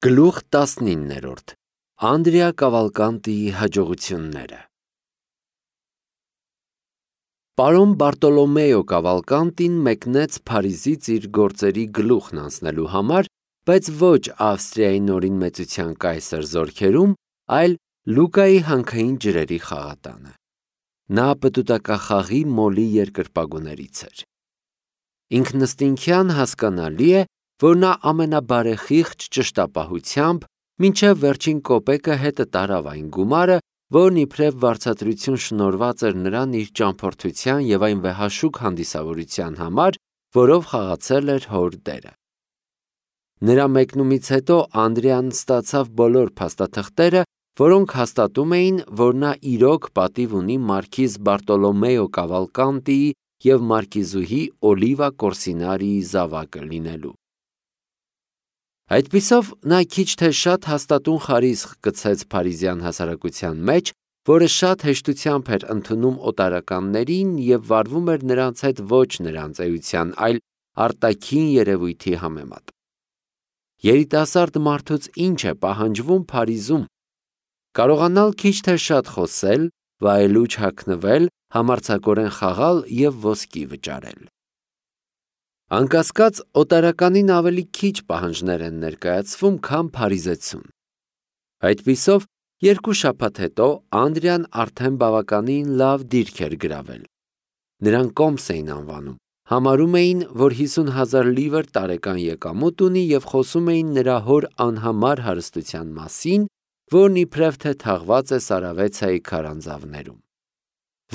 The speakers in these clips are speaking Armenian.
Գլուխ 19-րդ Անդրեա Կավալկանտիի հաջողությունները Պարոն Բարտոլոմեո Կավալկանտին մեկնեց Փարիզից իր գործերի գլուխն անցնելու համար, բայց ոչ Ավստրիայի նորին մեծության կայսր զորքերում, այլ Լուկայի հանքային ջրերի խաղատանը։ Նա պտուտակախաղի մոլի երկրպագուներից էր։ Ինքնըստինքյան հասկանալի է, որ նա ամենաբարեխիղճ ճշտապահությամբ մինչև վերջին կոպեկը հետը տարավ այն գումարը, որն իբրև վարձատրություն շնորհված էր նրան իր ճամփորդության և այն վեհաշուկ հանդիսավորության համար, որով խաղացել էր հոր դերը։ Նրա մեկնումից հետո Անդրեան ստացավ բոլոր փաստաթղթերը, որոնք հաստատում էին, որ նա իրոք պատիվ ունի մարքիզ Բարտոլոմեո Կավալկանտիի և մարքիզուհի Օլիվա Կորսինարիի զավակը լինելու։ Այդպիսով նա քիչ թե շատ հաստատուն խարիսխ գցեց փարիզյան հասարակության մեջ, որը շատ հեշտությամբ էր ընդունում օտարականներին և վարվում էր նրանց հետ ոչ նրանց էության, այլ արտաքին երևույթի համեմատ։ Երիտասարդ մարդուց ինչ է պահանջվում Փարիզում։ Կարողանալ քիչ թե շատ խոսել, վայելուչ հագնվել, համարձակորեն խաղալ և ոսկի վճարել։ Անկասկած, օտարականին ավելի քիչ պահանջներ են ներկայացվում, քան փարիզեցուն։ Այդպիսով, 2 շաբաթ հետո Անդրեան արդեն բավականին լավ դիրք էր գրավել։ Նրան կոմս էին անվանում, համարում էին, որ 50,000 լիվր տարեկան եկամուտ ունի և խոսում էին նրա հոր անհամար հարստության մասին, որն իբրև թե թաղված է Սարավեցայի քարանձավներում։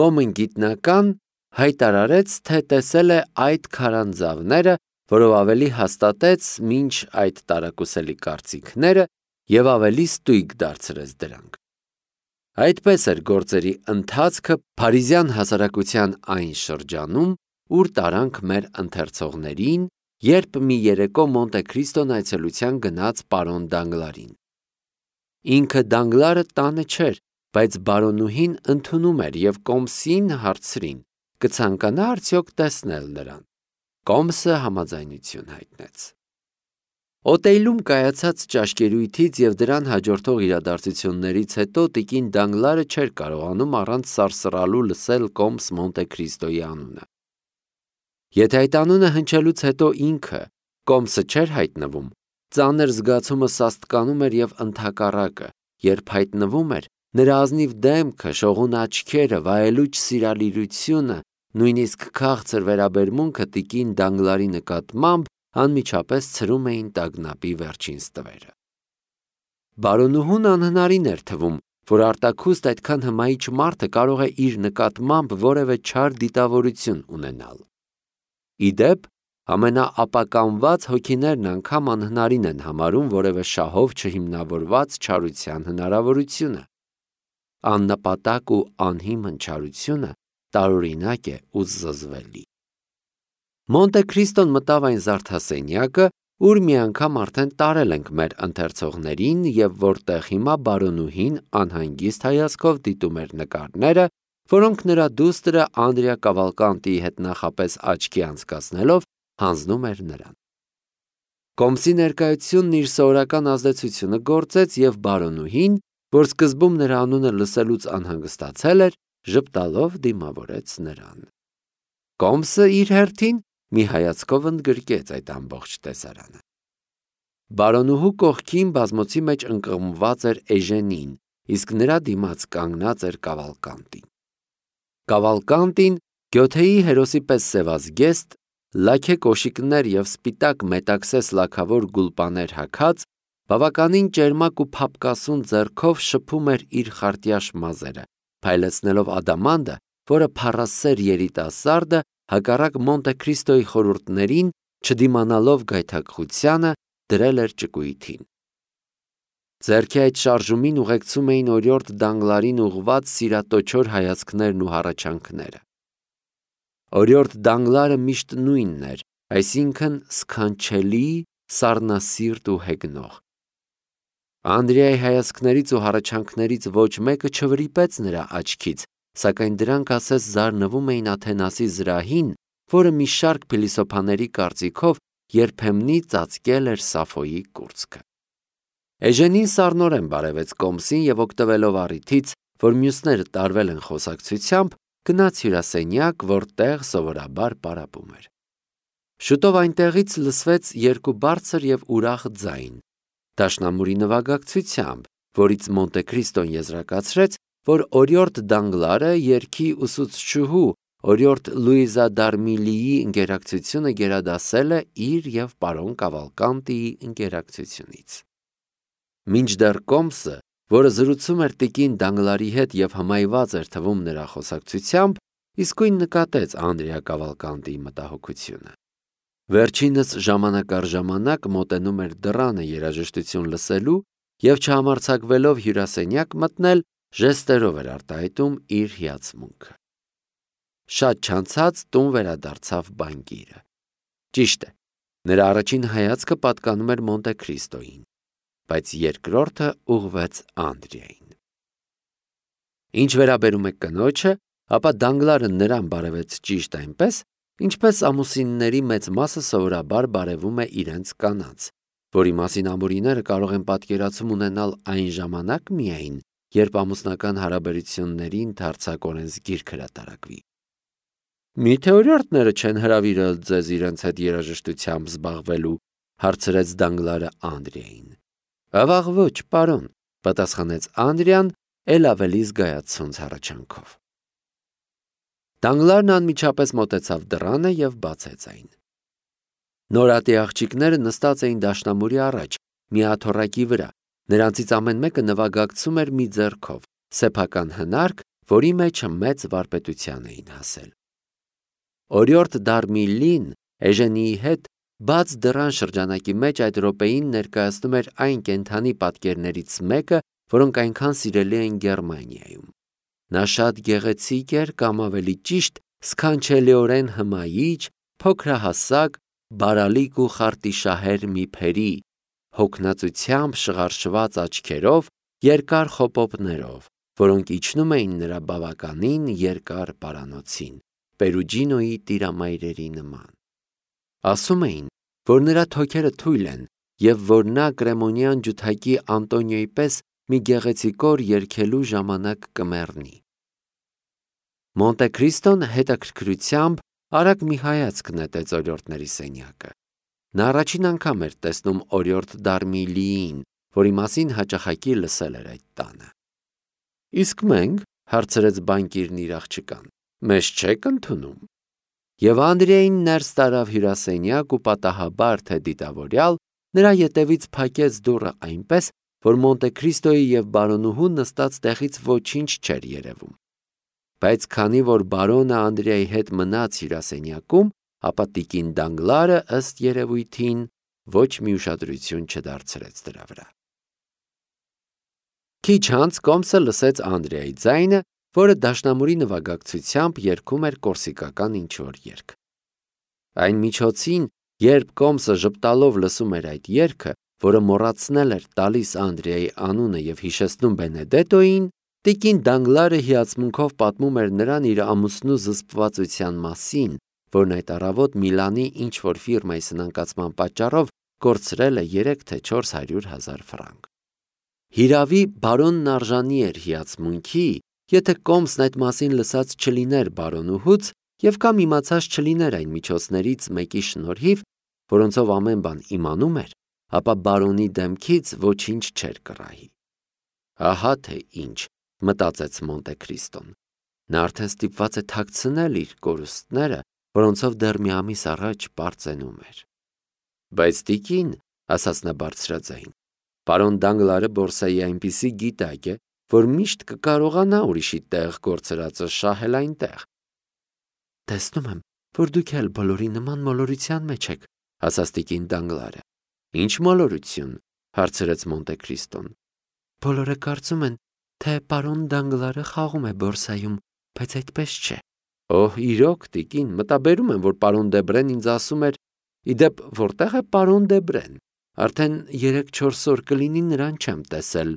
Ոմն գիտնական հայտարարեց, թե տեսել է այդ քարանձավները, որով ավելի հաստատեց մինչ այդ տարակուսելի կարծիքները և ավելի ստույգ դարձրեց դրանք։ Այդպես էր գործերի ընթացքը փարիզյան հասարակության այն շրջանում, ուր տարանք մեր ընթերցողներին, երբ մի երեկո Մոնտե Քրիստոն այցելության գնաց պարոն Դանգլարին։ Ինքը Դանգլարը տանը չէր, բայց բարոնուհին ընդունում էր և կոմսին հարցրին. կցանկանա արդյոք տեսնել նրան։ Կոմսը համաձայնություն հայտնեց։ Օտեյլում կայացած ճաշկերույթից և դրան հաջորդող իրադարձություններից հետո տիկին Դանգլարը չէր կարողանում առանց սարսռալու լսել կոմս Մոնտե Քրիստոյի անունը։ Եթե այդ անունը հնչելուց հետո ինքը, կոմսը չէր հայտնվում, ծանր զգացումը սաստկանում էր և ընդհակառակը, երբ հայտնվում էր, նրա ազնիվ դեմքը, շողուն աչքերը, վայելուչ սիրալիրությունը, նույնիսկ քաղցր վերաբերմունքը տիկին Դանգլարի նկատմամբ անմիջապես ցրում էին տագնապի վերջին ստվերը։ Բարոնուհուն անհնարին էր թվում, որ արտաքուստ այդքան հմայիչ մարդը կարող է իր նկատմամբ որևէ չար դիտավորություն ունենալ։ Ի դեպ, ամենաապականված հոգիներն անգամ անհնարին են համարում որևէ շահով չհիմնավորված չարության հնարավորությունը։ Աննպատակ ու անհիմն չարությունը տարօրինակ է ու զզվելի։ Մոնտե Քրիստոն մտավ այն զարդասենյակը, ուր մի անգամ արդեն տարել ենք մեր ընթերցողներին և որտեղ հիմա բարոնուհին անհանգիստ հայացքով դիտում էր նկարները, որոնք նրա դուստրը Անդրեա Կավալկանտիի հետ նախապես աչքի անցկացնելով հանձնում էր նրան։ Կոմսի ներկայությունն իր սովորական ազդեցությունը գործեց և բարոնուհին, որ սկզբում նրա անունը լսելուց անհանգստացել էր, ժպտալով դիմավորեց նրան։ Կոմսը իր հերթին մի հայացքով ընդգրկեց այդ ամբողջ տեսարանը։ Բարոնուհու կողքին բազմոցի մեջ ընկղմված էր Էժենին, իսկ նրա դիմաց կանգնած էր Կավալկանտին։ Կավալկանտին, գյոթեի հերոսի պես սևազգեստ, լաքե կոշիկներ և սպիտակ մետաքսես լաքավոր գուլպաներ հագած, բավականին ճերմակ ու փափկասուն ձեռքով շփում էր իր խարտյաշ մազերը, փայլեցնելով ադամանդը, որը փառասեր երիտասարդը, հակառակ Մոնտե Քրիստոյի խորհուրդներին, չդիմանալով գայթակղությանը, դրել էր ճկույթին։ Ձեռքի այդ շարժումին ուղեկցում էին օրիորդ Դանգլարին ուղղված սիրատոչոր հայացքներն ու հառաչանքները։ Օրիորդ Դանգլարը միշտ նույնն էր, այսինքն սքանչելի, սառնասիրտ ու հեգնող։ Անդրեայի հայացքներից ու հառաչանքներից ոչ մեկը չվրիպեց նրա աչքից, սակայն դրանք ասես զարնվում էին Աթենասի զրահին, որը մի շարք փիլիսոփաների կարծիքով երբեմնի ծածկել էր Սաֆոյի կուրծքը։ Էժենին սառնորեն բարևեց կոմսին և օգտվելով առիթից, որ մյուսները տարվել են խոսակցությամբ, գնաց հյուրասենյակ, որտեղ սովորաբար պարապում էր։ Շուտով այնտեղից լսվեց երկու բարձր և ուրախ ձայն, դաշնամուրի նվագակցությամբ, որից Մոնտե Քրիստոն եզրակացրեց, որ օրիորդ Դանգլարը երգի ուսուցչուհու օրիորդ Լուիզա Դարմիլիի ընկերակցությունը գերադասել է իր և պարոն Կավալկանտիի ընկերակցությունից։ Մինչդեռ կոմսը, որը զրուցում էր տիկին Դանգլարի հետ և հմայված էր թվում նրա խոսակցությամբ, իսկույն նկատեց Անդրեա Կավալկանտիի մտահոգությունը։ Վերջինս ժամանակ առ ժամանակ մոտենում էր դռանը երաժշտություն լսելու և չհամարձակվելով հյուրասենյակ մտնել, ժեստերով էր արտահայտում իր հիացմունքը։ Շատ չանցած տուն վերադարձավ բանկիրը։ Ճիշտ է, նրա առաջին հայացքը պատկանում էր Մոնտե Քրիստոյին, բայց երկրորդը ուղղվեց Անդրեային։ Ինչ վերաբերում է կնոջը, ապա Դանգլարը նրան բարևեց ճիշտ այնպես, ինչպես ամուսինների մեծ մասը սովորաբար բարևում է իրենց կանանց, որի մասին ամորիները կարող են պատկերացում ունենալ այն ժամանակ միայն, երբ ամուսնական հարաբերությունների ընդարձակորեն գիրք հրատարակվի։ Միթե օրիորդները չեն հրավիրել ձեզ իրենց հետ երաժշտությամբ զբաղվելու, հարցրեց Դանգլարը Անդրեային։ Ավաղ ոչ, պարոն, պատասխանեց Անդրեան էլ ավելի զգայացած հառաչանքով։ Դանգլարն անմիջապես մոտեցավ դռանը և բացեց այն։ Նորատի աղջիկները նստած էին դաշնամուրի առաջ, մի աթոռակի վրա, նրանցից ամեն մեկը նվագակցում էր մի ձեռքով, սեփական հնարք, որի մեջ մեծ վարպետության էին հասել։ Օրիորդ Դարմիլին Էժենիի հետ բաց դռան շրջանակի մեջ այդ րոպեին ներկայացնում էր այն կենդանի պատկերներից մեկը, որոնք այնքան սիրելի են Գերմանիայում։ Նա շատ գեղեցիկ էր կամ ավելի ճիշտ սքանչելիորեն հմայիչ, փոքրահասակ, բարալիկ ու խարտիշահեր մի փերի, հոգնածությամբ շղարշված աչքերով, երկար խոպոպներով, որոնք իջնում էին նրա բավականին երկար պարանոցին, Պերուջինոյի տիրամայրերի նման։ Ասում էին, որ նրա թոքերը թույլ են և որ նա կրեմոնյան ջութակի Անտոնիոյի պես մի գեղեցիկոր երգելու ժամանակ կմեռնի։ Մոնտե Քրիստոն հետաքրքրությամբ արագ մի հայացք նետեց օրիորդների սենյակը։ Նա առաջին անգամ էր տեսնում օրիորդ Դարմիլիին, որի մասին հաճախակի լսել էր այդ տանը։ Իսկ մենք, հարցրեց բանկիրն իր աղջկան, մեզ չեք ընդունում։ Եվ Անդրեային ներս տարավ հյուրասենյակ ու պատահաբար թե դիտավորյալ նրա ետևից փակեց դուռը այնպես, որ Մոնտե Քրիստոյի և բարոնուհու նստած տեղից ոչինչ չէր երևում։ Բայց քանի որ բարոնը Անդրեայի հետ մնաց հյուրասենյակում, ապա տիկին Դանգլարը ըստ երևույթին ոչ մի ուշադրություն չդարձրեց դրա վրա։ Քիչ անց կոմսը լսեց Անդրեայի ձայնը, որը դաշնամուրի նվագակցությամբ երգում էր կորսիկական ինչ-որ երգ։ Այն միջոցին, երբ կոմսը ժպտալով լսում էր այդ երգը, որը մոռացնել էր տալիս Անդրեայի անունը և հիշեցնում Բենեդետոյին, տիկին Դանգլարը հիացմունքով պատմում էր նրան իր ամուսնու զսպվածության մասին, որն այդ առավոտ Միլանի ինչ-որ ֆիրմայի սնանկացման պատճառով կորցրել է 3 թե 400,000 ֆրանկ։ Հիրավի բարոնն արժանի էր հիացմունքի, եթե կոմսն այդ մասին լսած չլիներ բարոնուհուց և կամ իմացած չլիներ այն միջոցներից մեկի շնորհիվ, որոնցով ամեն բան իմանում էր, ապա բարոնի դեմքից ոչինչ չէր կռահի։ Ահա թե ինչ, մտածեց Մոնտե Քրիստոն։ Նա արդեն ստիպված է թաքցնել իր կորուստները, որոնցով դեռ մի ամիս առաջ պարծենում էր։ Բայց տիկին, ասաց նա բարձրաձայն, պարոն Դանգլարը բորսայի այնպիսի գիտակ է, որ միշտ կկարողանա ուրիշի տեղ կորցրածը շահել այնտեղ։ Տեսնում եմ, որ դուք էլ բոլորի նման մոլորության մեջ եք, ասաց տիկին Դանգլարը։ Ինչ մոլորություն, հարցրեց Մոնտե Քրիստոն։ Բոլորը կարծում են, թե պարոն Դանգլարը խաղում է բորսայում, բայց այդպես չէ։ Օհ, իրոք, տիկին, մտաբերում եմ, որ պարոն Դեբրեն ինձ ասում էր, իդեպ որտեղ է պարոն Դեբրեն։ Արդեն 3-4 օր կլինի նրան չեմ տեսել։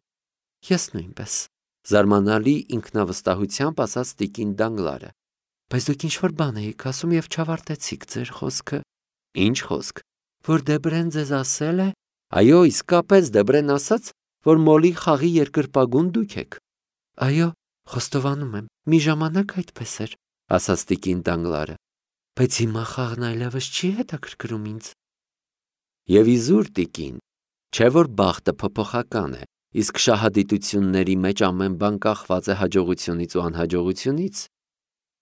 Ես նույնպես, զարմանալի ինքնավստահությամբ ասաց տիկին Դանգլարը։ Բայց դուք ինչ-որ բան էիք ասում և չավարտեցիք ձեր խոսքը։ Ինչ խոսք, որ Դեբրեն ձեզ ասել է։ Այո, իսկապես Դեբրեն ասաց, որ մոլի խաղի երկրպագուն դուք եք։ Այո, խոստովանում եմ, մի ժամանակ այդպես էր, ասաց տիկին Դանգլարը, բայց հիմա խաղն այլևս չի հետաքրքրում ինձ։ Եվ իզուր տիկին, չէ որ բախտը փոփոխական է, իսկ շահադիտությունների մեջ ամեն բան կախված է հաջողությունից ու անհաջողությունից։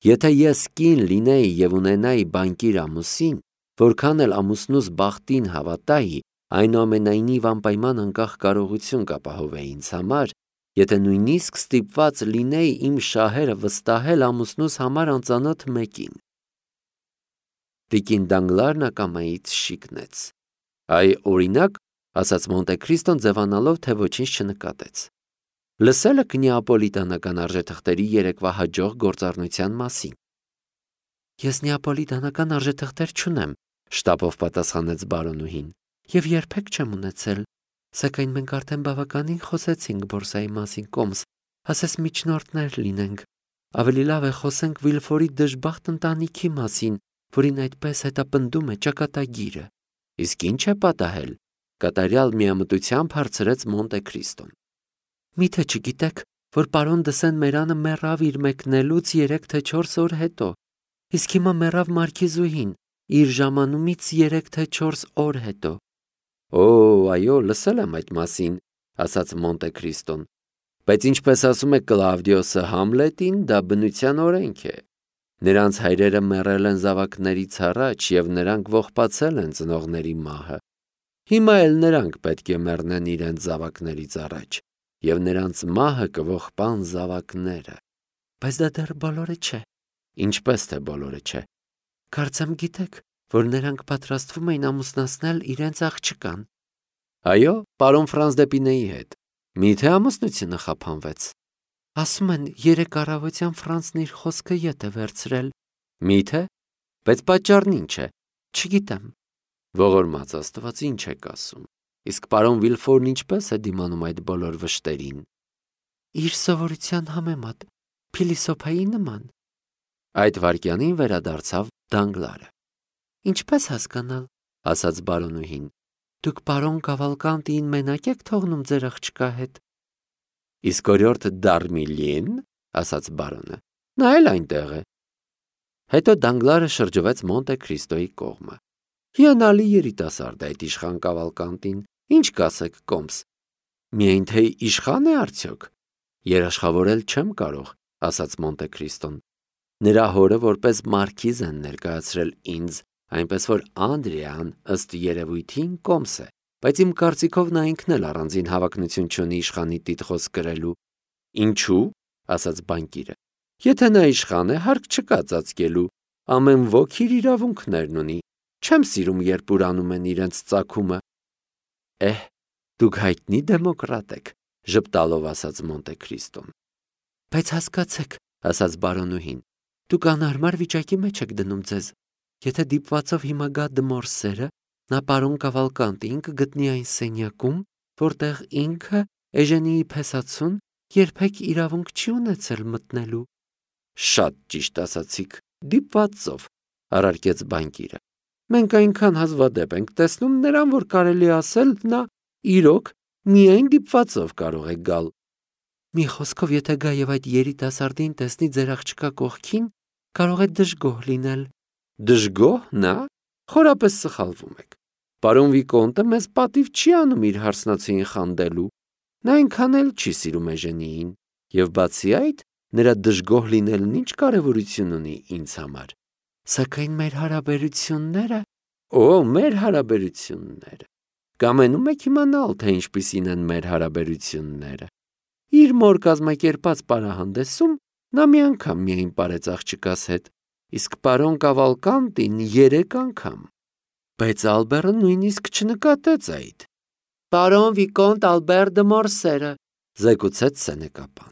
Եթե ես կին լինեի եւ ունենայի բանկիր ամուսին, որքան էլ ամուսնուս բախտին հավատայի, այնուամենայնիվ անպայման անկախ կարողություն կապահովեի ինձ համար, եթե նույնիսկ ստիպված լինեի իմ շահերը վստահել ամուսնուս համար անծանոթ մեկին։ Տիկին Դանգլարն ակամայից շիկնեց։ Այ օրինակ, ասաց Մոնտե Քրիստոն ձևանալով, թե ոչինչ չնկատեց։ Լսել եք նեապոլիտանական արժեթղթերի երեկվա հաջող գործառնության մասին։ Ես նեապոլիտանական արժեթղթեր չունեմ, շտապով պատասխանեց բարոնուհին, եւ երբեք չեմ ունեցել, սակայն մենք արդեն բավականին խոսեցինք բորսայի մասին կոմս, ասես միջնորդներ լինենք։ Ավելի լավ է խոսենք Վիլֆորի դժբախտ ընտանիքի մասին, որին այդպես հետապնդում է ճակատագիրը։ Իսկ ինչ է պատահել, կատարյալ միամտությամբ հարցրեց Մոնտե Քրիստոն։ Միթե չգիտեք, որ պարոն Դսեն Մերանը մեռավ իր մեկնելուց 3 թե 4 օր հետո, իսկ հիմա մեռավ մարքիզուհին իր ժամանումից 3 թե 4 օր հետո։ Օ, այո, լսել եմ այդ մասին, ասաց Մոնտե Քրիստոն, բայց ինչպես ասում է Կլավդիոսը Համլետին, դա բնության օրենք է։ Նրանց հայրերը մեռել են զավակներից առաջ եւ նրանք ողբացել են ծնողների մահը։ Հիմա էլ նրանք պետք է մեռնեն իրենց զավակներից առաջ, եւ նրանց մահը կողբան զավակները։ Բայց դա դեռ բոլորը չէ։ Ինչպես թե բոլորը չէ։ Կարծեմ գիտեք, որ նրանք պատրաստվում էին ամուսնացնել իրենց աղջկան։ Այո, պարոն Ֆրանս Դեպինեի հետ։ Միթե ամուսնությունը խափանվեց։ Ասում են, 3 առավոտյան Ֆրանսն իր խոսքը ետ է վերցրել։ Միթե, բայց պատճառն ինչ է, չգիտեմ։ Ողորմած Աստված, ինչ եք ասում։ Իսկ պարոն Վիլֆորն ինչպես է դիմանում այդ բոլոր վշտերին։ Իր սովորության համեմատ, փիլիսոփայի նման։ Այդ վայրկյանին վերադարձավ Դանգլարը։ Ինչպես հասկանալ, ասաց բարոնուհին, դուք պարոն Կավալկանտին մենակ եք թողնում ձեր աղջկա հետ։ Իսկ օրիորդ Դարմիլին, ասաց բարոնը, նա էլ այնտեղ է։ Հետո Դանգլարը շրջվեց Մոնտե Քրիստոյի կողմը։ Հիանալի երիտասարդ է այդ իշխան Կավալկանտին, ինչ կասեք կոմս։ Միայն թե իշխան է արդյոք։ Երաշխավորել չեմ կարող, ասաց Մոնտե Քրիստոն։ Նրա հորը որպես մարքիզ են ներկայացրել ինձ, այնպես որ Անդրեան ըստ երևույթին կոմս է, բայց իմ կարծիքով նա ինքն էլ առանձին հավակնություն չունի իշխանի տիտղոս կրելու։ Ինչու՞, ասաց բանկիրը։ Եթե նա իշխան է, հարկ չկա ծածկելու, ամեն ոք իր իրավունքներն ունի։ Չեմ սիրում, երբ ուրանում են իրենց ծագումը։ Դուք հայտնի դեմոկրատ եք, ժպտալով ասաց Մոնտե Քրիստոն։ Բայց հասկացեք, ասաց բարոնուհին, դուք անհարմար վիճակի մեջ եք դնում ձեզ։ Եթե դիպվածով հիմա գա Դմորսերը, նա պարոն Կավալկանտին կգտնի այն սենյակում, որտեղ ինքը Էժենիի փեսացուն երբեք իրավունք չի ունեցել մտնելու։ Շատ ճիշտ ասացիք, դիպվածով, առարկեց բանկիրը։ Մենք այնքան հազվադեպ ենք տեսնում նրան, որ կարելի ասել նա իրոք միայն դիպվածով կարող է գալ։ Մի խոսքով, եթե գա եւ այդ երիտասարդին տեսնի ձեր աղջկա կողքին, կարող է դժգոհ լինել։ Դժգոհ նա? Խորապես սխալվում եք։ Պարոն Վիկոնտը մեզ պատիվ չի անում իր հարսնացուին խանդելու։ Նա այնքան էլ չի սիրում Էժենիին, եւ բացի այդ, նրա դժգոհ լինելն ինչ կարևորություն ունի ինձ համար։ Սակայն մեր հարաբերությունները, մեր հարաբերությունները։ Կամենում եք իմանալ, թե ինչպիսին են մեր հարաբերությունները։ Իր մոր կազմակերպած պարահանդեսում նա մի անգամ միայն պարեց աղջկաս հետ, իսկ պարոն Կավալկանտին 3 անգամ։ Բայց Ալբերը նույնիսկ չնկատեց այդ։ Պարոն Վիկոնտ Ալբեր դե Մորսերը, զեկուցեց սենեկապան։